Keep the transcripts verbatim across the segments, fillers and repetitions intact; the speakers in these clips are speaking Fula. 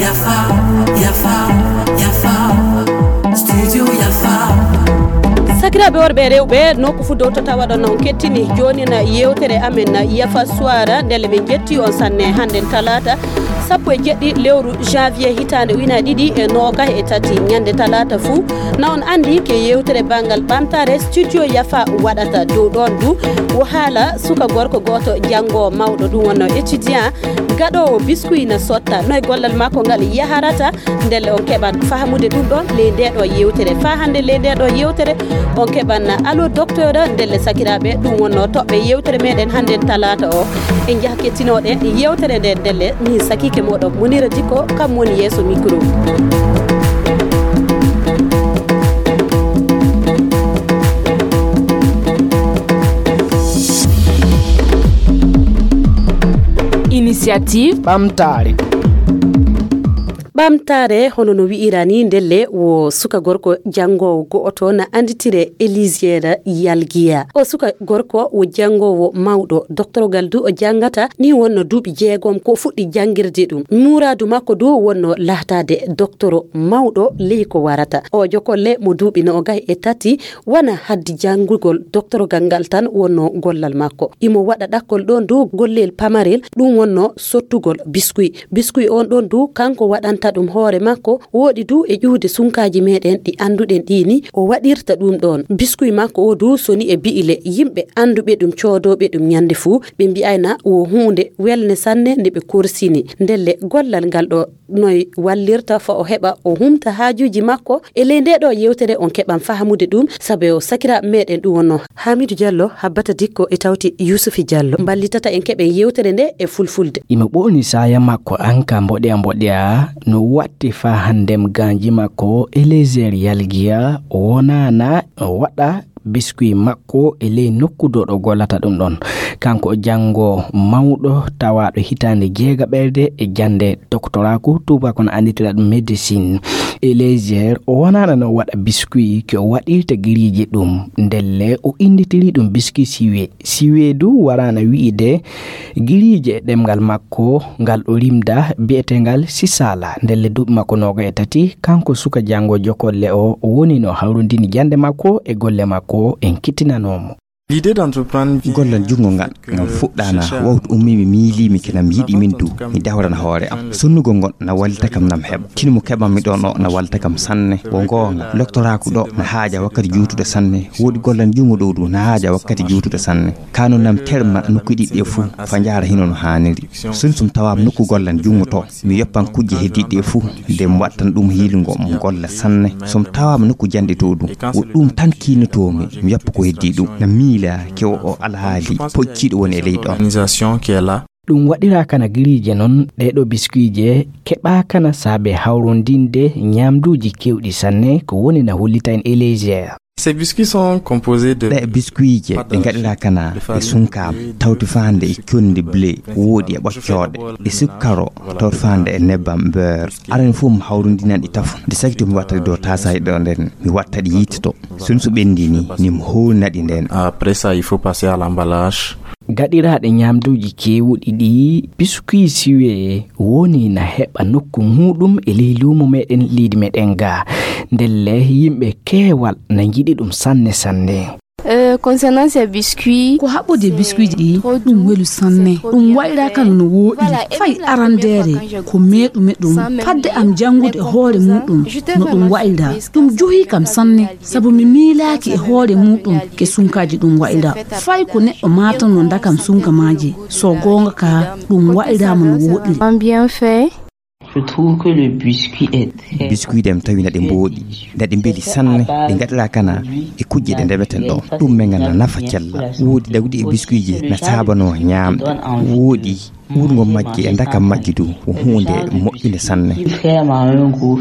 Yafa, yafa, yafa. Studio yafa. Sakiraaɓe worɓe e rewɓe, nokku fuu dow to tawaɗon on kettini joonin yeewtere amen Yafa Suwara. Ndelle min njetti on sanne. Hannden talaata sappo e jeɗɗi lewru janvier hitaande ujunaaji ɗiɗi e noogaas e tati, ñande talaata fuu, na on anndi ke yeewtere banngal ɓamtaare Studio Yafa waɗata. Dow ɗoon du wo haala suka gorko gooto janngoowo mawɗo, ɗum wonno étudiant, gaɗoowo biskuy na sotta. Noy gollal makko ngal yaharata? Ndelle on keɓan fahamude ɗum ɗoon ley ndee ɗoo yeewtere. Faa hannde ley ndee ɗoo yeewtere, on keɓan Allo Docteur. Ndelle sakiraaɓe, ɗum wonno toɓɓe yeewtere meɗen hannden talaata o. En njaha kettinooɗen yeewtere nden ndelle. Min sakiike mooɗon Munira Dikko, kam woni yeeso micro. Initiative ɓamtaare. Ɓamtaare, hono no wi'ira ni, ndelle wo suka gorko janngoowo go'oto na annditire Elisir Yalgiya. O suka gorko wo janngoowo mawɗo, doktorogal du o janngata, ni wonno duuɓi jeegom ko fuɗɗi janngirde ɗum. Muuraadu makko du wonno lahtaade doktoro mawɗo ley ko warata. O jokolle mo duuɓi noogaas e tati, wana haddi janngugol doktorogal ngal tan wonno gollal makko. Imo waɗa ɗakkol ɗoon du gollel pamarel, ɗum wonno sottugol biskuy. Biskuy on ɗoon du, kanko waɗanta ɗum hoore makko, wooɗi du e ƴuwde sunkaaji meɗen ɗi annduɗen ɗi ni, o waɗirta ɗum ɗoon. Biskuy makko o du soni e bi'ile, yimɓe annduɓe ɗum, coodooɓe ɗum ñande fuu, ɓe mbi'ayna wo huunde welnde sanne nde ɓe korsini. Ndelle gollal ngal ɗo noy wallirta fa o heɓa o humta haajuuji makko. E ley ndee ɗoo yeewtere on keɓan fahamude ɗum, sabe o sakiraaɓe meɗen ɗum wonno Hamidu Jallo, Habbata Dikko e tawti Yusufi Jallo mballitata en keɓen yeewtere nde e fulfulde. Imo ɓooni saaya makko an ka mboɗeya mboɗeya no watti faa hanndem gaanji makko Elezer Yalgiya wonaana no waɗa biskuy makko e ley nokku dow ɗo gollata ɗum ɗon. Kanko o janngo mawɗo tawaaɗo hitaande jeegaɓerde e jannde doktoraaku, tuubako no annditira ɗum médecine. Elezer o wonaana no waɗa biskuy ke o waɗirta giriije ɗum, ndelle o innditiri ɗum biskuy siwe. Siwe du waraana wi'ide giriije e ɗemngal makko ngal o rimda bi'eteengal Sisala. Ndelle duuɓi makko nooga e tati, kanko suka janngo jokolle o, o woni no hawrondini jannde makko e golle makko en kittinanoomo. Gollal junngo ngal, ngam fuɗɗaana wawtu ummiimi miiliimi ke nam yiɗi min du, mi dawrana hoore am. Sonnugol ngol na wallita kam nam heɓa. Tinu mo keɓanmi ɗoon o na wallita kam sanne. Wo goonga, loktoraaku ɗo na haaja wakkati juutuɗo sanne. Woodi gollal junngo ɗo du na haaja wakkati juutuɗo sanne. Kano nam terma nokku ɗiɗi ɗe fuu, fa njaara hino no haaniri. Sun sum tawaam nokku gollal junngo to, mi yoppan kujje heddiiɗe ɗe fuu, nde mi wattan ɗum hiilungo mo golla sanne. Sum tawaam nokku janɗe to ɗum, wo ɗum tan kiinotoomi, mi yoppa ko heddii ɗum. Na miila ke o, o alhaali pocciiɗo woni e ley ɗon. Organisation qui est là. Ɗum waɗiraa kana giriije non, ɗee ɗo biskuije keɓaa kana saabe hawrondinde ñaamduuji keewɗi sanne, ko woni na hollita en e légère. Ces biscuits sont composés de Ɗee biskuije ɗe ngaɗiraa kana ɓe sunkaama, tawti faande e conndi blé, woodi e ɓoccooɗe, e sukkaro, tawti faande e nebbam beurre. Aran fof mi hawrondinan ɗi tafo. Nde sakito mi watta ɗi dow taasaaji ɗo nden, mi watta ɗi yiite to. Sun so ɓenndi ni, ni mi howlina ɗi nden. Après ça, il faut passer à l'emballage. Gaɗiraaɗe ñaamduuji keewuɗi ɗi, biskuit siwee woni na heɓa nokku muuɗum e ley luumo meɗen, leydi meɗen ga. Ndelle yimɓe keewal na njiɗi ɗum sanne sanne. Euh, concernant ces biscuits, ko haɓɓude e biskuiji ɗi, ɗum welu sanne. Ɗum waɗiraa kano no wooɗi. Fay arandeere, ko meeɗumi ɗum. Fadde am janngude e hoore muuɗum no ɗum waɗiraa. Ɗum johii kam sanne, sabu mi miilaaki e hoore muuɗum ke sunkaaji ɗum waɗiraa. Fay ko neɗɗo maatanoo ndakam sunka maaji, so goonga ka, ɗum waɗiraama no wooɗiri. Bien fait. Je trouve que le biscuit est très Biskuit ɗe mi tawi na ɗe mbooɗi, na ɗe mbeli sanne, ɗe ngaɗiraa kana e kujje ɗe ndemeten ɗo. Ɗum men ngal na nafa cella. Woodi dawdi e biskuiji na saabanoo ñaamɗe. Woodi uurngol majje e ndakam majje du ko huunde moƴƴunde sanne. Vraiment un goût.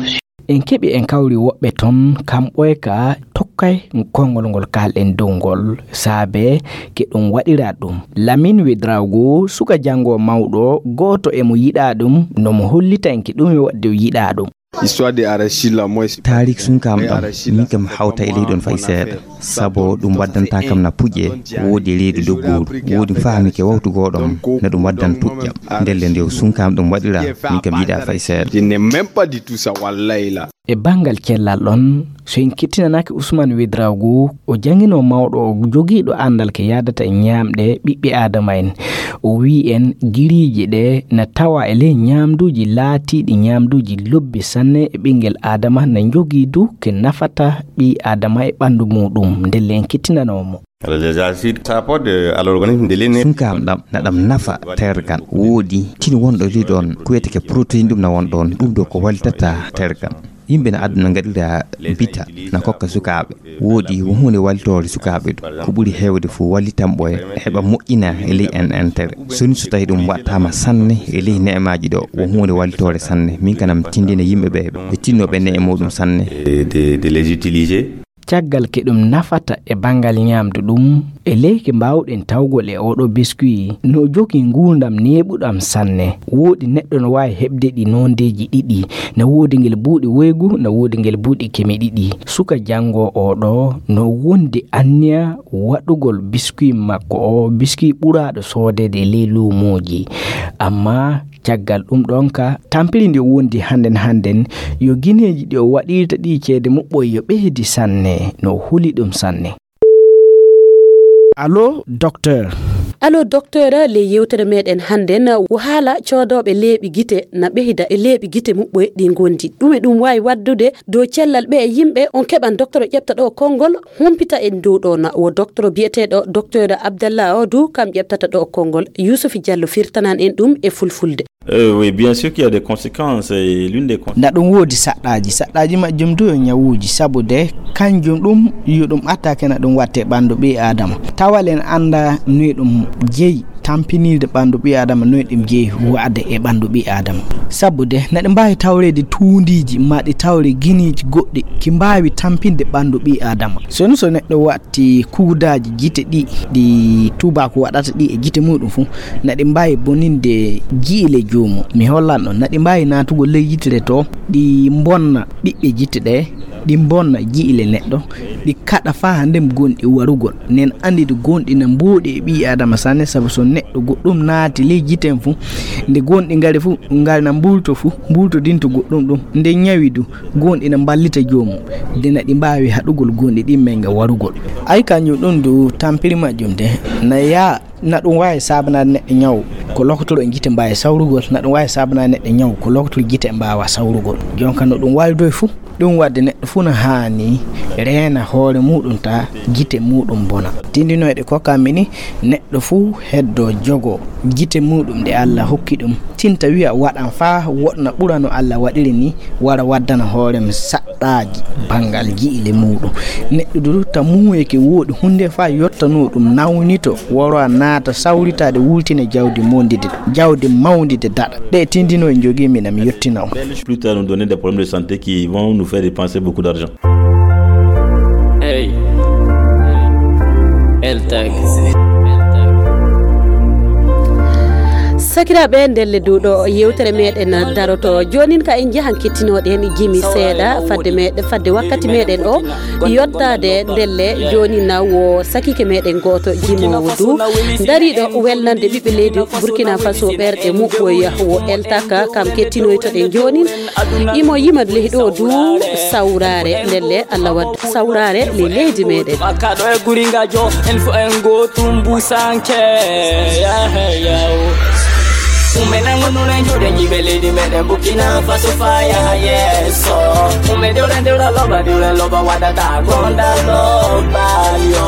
En keɓi en kawri woɓɓe ton, kamɓe ka tokkay konngol ngol kaalɗen dow ngol, saabe ke ɗum waɗiraa ɗum. Lamin Wedraogo, suka janngo mawɗo, gooto e mo yiɗaa ɗum, no mo hollita en ke ɗum e waɗde o yiɗaa ɗum. Histoire de Arachila, moi, c'est Tarik sunkam ɗam, min kam hawta e leydi on fay seeɗa. Sabo ɗum waddanta kam na puƴe, woodi e leydi dogguuru, woodi fahmi ke wawtu goɗom, na ɗum waddan puƴƴam. Ndelle nde o sunkam ɗum waɗira, min kam yiɗa fay seeɗa. Je n'ai même pas du tout ça, wallahi la. E banngal cellal ɗon, so en kettinanaaki Usman Wedraogo, o jannginoo mawɗo, o jogiiɗo anndal ke yaadata e ñaamɗe ɓiɓɓe Aadama en. O wi'i en giriiji ɗe na tawa e ley ñaamduuji laatiiɗi ñaamduuji lobbi sanne e ɓinngel Aadama na njogii du ke nafata ɓii Aadama e ɓanndu muuɗum, ndelle en kettinanoo mo. Alors, les acides, ça apporte, euh, à l'organisme de l'énergie. Sunkam ɗam, na ɗam nafa tergal. Woodi tin wonɗo ɗi ɗon, ko wiyetee ke protéine ɗum na won ɗon. Ɗum ɗo ko wallitata tergal. Yimɓe na aduna ngaɗira bita, na kokka sukaaɓe. Woodi wo huunde wallitoore sukaaɓe ɗum. Ko ɓuri heewde fof wallitan ɓe heɓa moƴƴina e ley en entere. So ni so tawi ɗum waɗtaama sanne e ley ne'emaaji ɗo, wo huunde wallitoore sanne. Min kanam tindina yimɓe ɓe, ɓe tinno ɓe ne'e muɗum sanne. Et de, de les utiliser. Caggal ke ɗum nafata e banngal ñaamdu ɗum, e leyke mbaawɗen tawgol e oɗo biscuit, no jogii nguurndam neeɓuɗam sanne. Woodi neɗɗo no waawi heɓde ɗi noondeeji ɗiɗi, na woodi ngel buuɗi woygu, na woodi ngel buuɗi keme ɗiɗi. Suka janngo oɗo no wondi anniya waɗugol biscuit makko o, biscuit ɓuraaɗo soodeede e ley luumooji. Amma caggal ɗum ɗon ka tampiri ndi wondi hannden hannden, yo gineeji ɗi o waɗirta ɗi ceede muɓɓoy yo ɓeydi sanne, no o huli ɗum sanne. Allo, docteur. Allo, docteur, le yewtere meɗen hannden wo haala coodooɓe leeɓi gite na ɓeyda e leeɓi gite muɓɓoy ɗi ngondi. Ɗume ɗum waawi waddude dow cellal ɓe e yimɓe? On keɓan docteur o ƴefta ɗo konngol, humpita en dow ɗo na wo docteur biyeteeɗo docteur Abdallah Odu, kam ƴeftata ɗo konngol. Yusufi Diallo firtanan en ɗum e fulfulde. Euh, oui, bien sûr qu'il y a des conséquences, et l'une des con- Na ɗum woodi saɗɗaaji. Saɗɗaaji majjum du yo ñawuuji, sabu de kanjum ɗum yo ɗum attaque na ɗum watte ɓanndu ɓii Aadama. Tawal en annda no ɗum jeyi tampinirde ɓanndu ɓii Aadama, no ɗum jeyi wa'ade e ɓanndu ɓii Aadama. Sabu de na ɗi mbaawi tawreede tuundiiji, ma ɗi tawre gineeji goɗɗi, ki mbaawi tampinde ɓanndu ɓii Aadama. So no so neɗɗo wa- ti kuudaaji gite ɗi, ɗi tuubaaku waɗata ɗi e gite muɗum fuu, na ɗi mbaawi boninde ji'ile joomum. Mi hollan on, na ɗi mbaawi naatugol ley yitere to, ɗi mbonna ɓiɓɓe gite ɗe, ɗi mbonna ji'ile neɗɗo, ɗi kaɗa faa haa ndem gonɗi warugol. Nen anndi ɗi gonɗi na mbooɗi e ɓii Aadama sanne, sabu so neɗɗo goɗɗum naati ley gite mum fuu, nde gonɗi ngari fuu, ngari na mbuulto fuu, mbuultodinto goɗɗum ɗum, nde ñawi du, gonɗi na mballita joomum, de na ɗi mbaawi haɗugol gonɗi ɗin men nga warugol. Ay kanjum ɗum du tampiri majjum de, na yaa na ɗum waawi saabanaade neɗɗo ñaw ko lokotoro e gite mbaawi sawrugol, na ɗum waawi saabanaade neɗɗo ñaw ko lokotoro gite mbaawa sawrugol. Jonka no ɗum waalidoy fuu, ɗum waɗde neɗɗo fuu na haani reena hoore muɗum ta gite muɗum bona. Tindinoyɗe kokkammi ni, neɗɗo fuu heddo jogo gite muɗum ɗe Allah hokki ɗum, tinta wi'a waɗan faa woɗna ɓura no Allah waɗiri ni, wara waddana hoore mum saɗɗaaji banngal ji'ile muɗum. Neɗɗo du ta muuyeke woɗi huunde faa yottano ɗum nawnito, wara naata sawritaade wultina jawdi mondide, jawdi mawndide daɗa. Ɗe tindino e jogii mi na mi yottina on. Plus tard, nous donner des problèmes de santé qui vont nous faire dépenser beaucoup d'argent. Hey. Eltag. Sakiraaɓe, ndelle du ɗo yewtere meɗen daroto. Joonin ka en njahan kettinooɗen jimi seeɗa fadde meɗen, fadde wakkati meɗen o yottaade. Ndelle joonin na wo sakike meɗen gooto jimoowo du dariiɗo welnande ɓiɓɓe leydi Burkina Faso ɓerɗe muɓɓoy wo Eltaka, kam kettinoytoɗen joonin. Imo yima ley ɗo du sawraare, ndelle Allah wadda sawraare ley leydi meɗen. Makkaɗo e guri ngajo, en fo en gootum busanke. Yahe yaw. Ume nango nuna njude nyibe leydi meɗen Burkina Faso faya yeso. Ume dewra dewra loba dewra loba wadata gonda loba yo.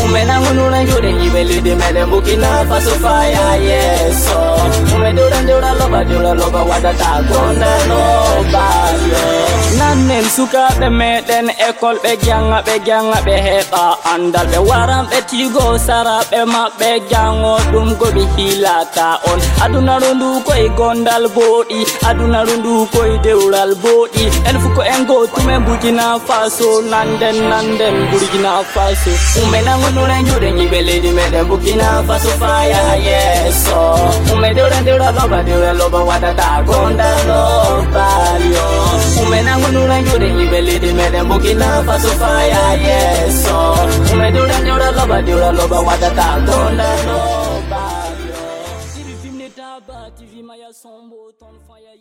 Ume nango nuna njude nyibe leydi meɗen Burkina Faso faya yeso. Ume dewra dewra loba dewra loba wadata gonda loba yo. Nannen sukaaɓe meɗen école ɓe janga, ɓe janga, ɓe heɓa andal, ɓe waran ɓe tigo sara ɓe maɓɓe jango ɗum go ɓe hilata on. Adunaru ndu koye gondal booɗi, adunaru ndu koye dewral booɗi. En fu ko en gootum e Burkina Faso, nanden, nanden Burkina Faso. Ume nango nuna njude nyibe leydi meɗen Burkina Faso faya yeso. Ume Dewra dewra loba dewra loba wadata gonda loba yo. Ume nangu nura yude ibe lidi mede Burkina Faso fire, yes so. Ume dewra dewra loba dewra loba wadata gonda loba yo. T V film ne taba, T V maya sombo ton fire.